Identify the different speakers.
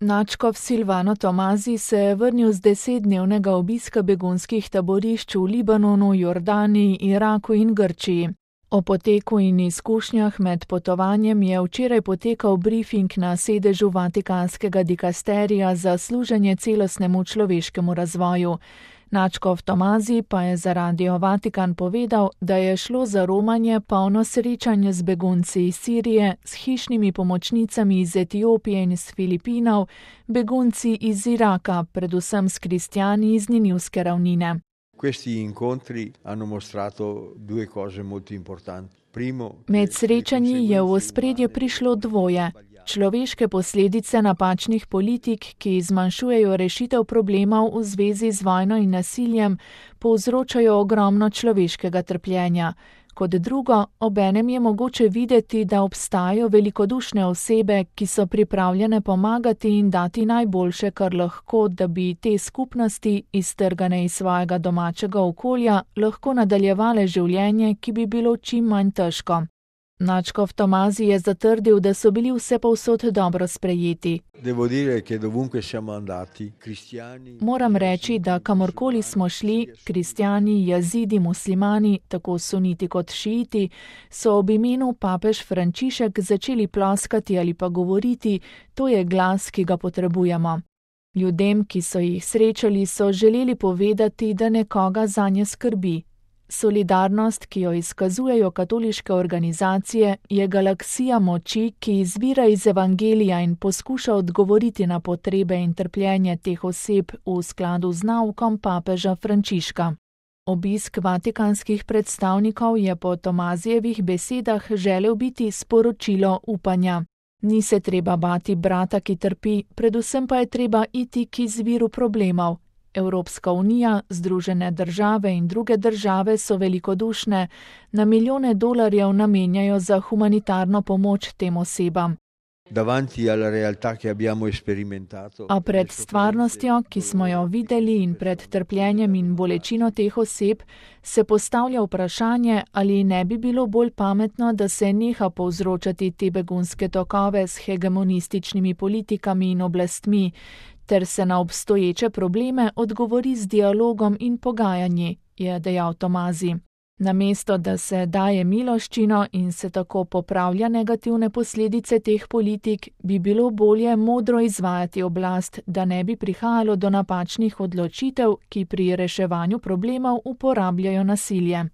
Speaker 1: Nadškof Silvano Tomazi se je vrnil z 10-dnevnega obiska begunskih taborišč v Libanonu, Jordaniji, Iraku in Grčiji. O poteku in izkušnjah med potovanjem je včeraj potekal brifing na sedežu Vatikanskega dikasterija za služenje celostnemu človeškemu razvoju. Nadškof Tomazi pa je za Radio Vatikan povedal, da je šlo za romanje polno srečanje z begunci iz Sirije, s hišnimi pomočnicami iz Etiopije in iz Filipinov, begunci iz Iraka, predvsem s kristjani iz Ninivske ravnine. Med srečanji je v ospredje prišlo dvoje. Človeške posledice napačnih politik, ki zmanjšujejo rešitev problemov v zvezi z vojno in nasiljem, povzročajo ogromno človeškega trpljenja. Kot drugo, obenem je mogoče videti, da obstajajo velikodušne osebe, ki so pripravljene pomagati in dati najboljše, kar lahko, da bi te skupnosti, iztrgane iz svojega domačega okolja, lahko nadaljevale življenje, ki bi bilo čim manj težko. Nadškof Tomazi je zatrdil, da so bili vsepovsod dobro sprejeti. Moram reči, da kamorkoli smo šli, kristjani, jazidi, muslimani, tako suniti kot šiiti, so ob imenu papež Frančišek začeli ploskati ali pa govoriti, to je glas, ki ga potrebujemo. Ljudem, ki so jih srečali, so želeli povedati, da nekoga zanje skrbi. Solidarnost, ki jo izkazujejo katoliške organizacije, je galaksija moči, ki izvira iz evangelija in poskuša odgovoriti na potrebe in trpljenje teh oseb v skladu z naukom papeža Frančiška. Obisk vatikanskih predstavnikov je po Tomazijevih besedah želel biti sporočilo upanja. Ni se treba bati brata, ki trpi, predvsem pa je treba iti k izviru problemov. Evropska unija, Združene države in druge države so velikodušne, na milijone dolarjev namenjajo za humanitarno pomoč tem osebam. A pred stvarnostjo, ki smo jo videli, in pred trpljenjem in bolečino teh oseb, se postavlja vprašanje, ali ne bi bilo bolj pametno, da se neha povzročati te begunske tokove s hegemonističnimi politikami in oblastmi, ter se na obstoječe probleme odgovori z dialogom in pogajanji, je dejal Tomazi. Namesto, da se daje miloščino in se tako popravlja negativne posledice teh politik, bi bilo bolje modro izvajati oblast, da ne bi prihajalo do napačnih odločitev, ki pri reševanju problemov uporabljajo nasilje.